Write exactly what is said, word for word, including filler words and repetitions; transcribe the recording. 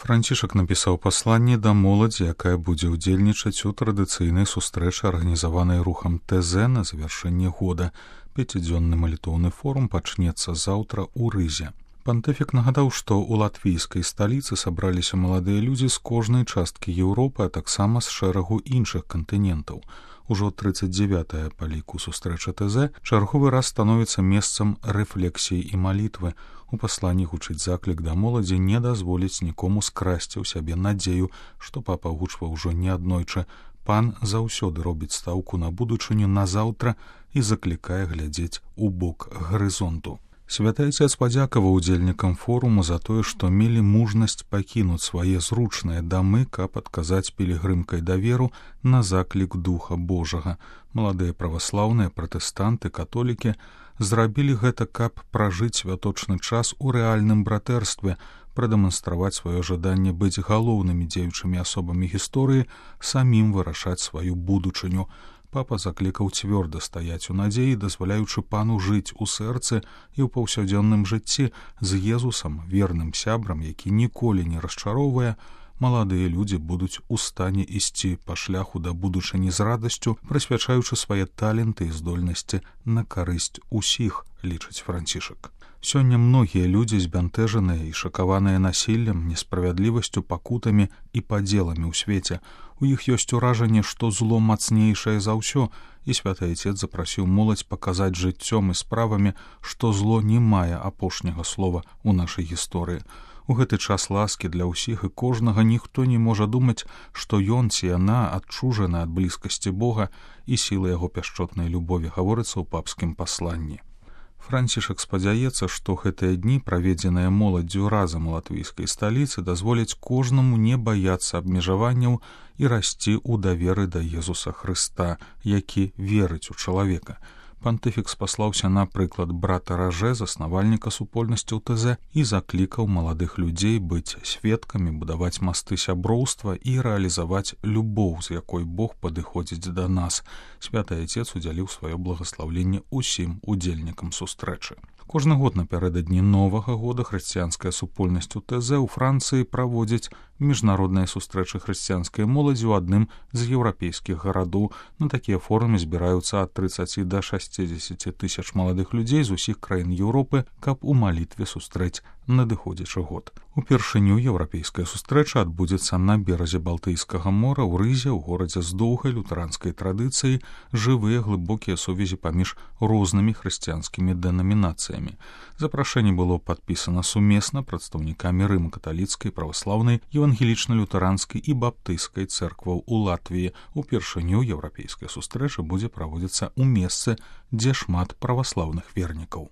Францішак напісаў пасланне да моладзі, якая будзе ўдзельнічаць у традыцыйнай сустрэчы, арганізаванай рухам ТЗ на завяршэнне года. Пяцідзённы малітоўны форум пачнецца заўтра ў Рызе. Пантыфік нагадаў, што ў латвійскай сталіцы сабраліся маладыя людзі з кожнай часткі Еўропы, а таксама з шэрагу іншых кантынентаў. Ужо трыццаць дзявятая па ліку сустрэча ТЗ чарговы раз становіцца месцам рэфлексіі і малітвы. У пасланні гучыць заклік да моладзі не дазволіць нікому скрасці ў сябе надзею, што папа гучваў ужо неаднойчы. Пан заўсёды робіць стаўку на будучыню на заўтра і заклікае глядзець у бок гарызонту. Святы Айцец падзякаваў удзельнікам форуму за тое, што мелі мужнасць пакінуць свае зручныя дамы, каб адказаць пілігрымкай даверу на заклік Духа Божага. Маладыя праваслаўныя, пратэстанты, католікі зрабілі гэта, каб пражыць святочны час у рэальным братэрстве, прадэманстраваць сваё жаданне быць галоўнымі дзеючымі асобамі гісторыі, самім вырашаць сваю будучыню. Папа заклікаў цвёрда стаяць у надзеі, дазваляючы пану жыць у сэрцы і ў паўсядзённым жыцці з Езусам, верным сябрам, які ніколі не расчароўвае. Маладыя людзі будуць у стане ісці па шляху да будучыні з радасцю, прысвячаючы свае таленты і здольнасці на карысць усіх, лічыць Францішак. Сёння многія людзі збянтэжаныя і шакаваныя насіллем, несправядлівасцю, пакутамі і падзеламі ў свеце. У іх ёсць уражанне, што зло мацнейшае за ўсё, і Святы Айцец запрасіў моладзь паказаць жыццём і справамі, што зло не мае апошняга слова ў нашай гісторыі. У гэты час ласкі для ўсіх і кожнага ніхто не можа думаць, што ён ці яна адчужаны ад блізкасці Бога і сілы яго пяшчотнай любові, гаворыцца ў папскім пасланні. Францішак спадзяецца, што гэтыя дні, праведзеныя моладдзю разам у латвійскай сталіцы, дазволяць кожнаму не баяцца абмежаванняў і расці ў даверы да Езуса Хрыста, які верыць у чалавека. Пантыфік спаслаўся на прыклад брата Ражэ, заснавальніка супольнасцяў ТЗ, і заклікаў маладых людзей быць сведкамі, будаваць масты сяброўства і рэалізаваць любоў, з якой Бог падыходзіць да нас. Святы Айцец удзяліў сваё благаслаўленне ўсім удзельнікам сустрэчы. Кожны год напярэдадні Новага года хрысціянская супольнасць у ТЗ ў Францыі праводзіць міжнародныя сустрэчы хрысціянскай моладзі ў адным з еўрапейскіх гарадоў. На такія форумы збіраюцца ад трыццаці да шасцідзесяці тысяч маладых людзей з усіх краін Еўропы, каб у малітве сустрэць надыходзячы год. Упершыню еўрапейская сустрэча адбудзецца на беразе Балтыйскага мора ў Рызе, у горадзе з доўгай лютэранскай традыцыяй, жывыя глыбокія сувязі паміж рознымі хрысціянскімі дэнамінацыямі. Запрашэнне было падпісана сумесна прадстаўнікамі рыма-каталіцкай, праваслаўнай, евангелічна-лютэранскай і баптыйскай цэркваў у Латвіі. Упершыню еўрапейская сустрэча будзе праводзіцца ў месцы, дзе шмат праваслаўных вернікаў.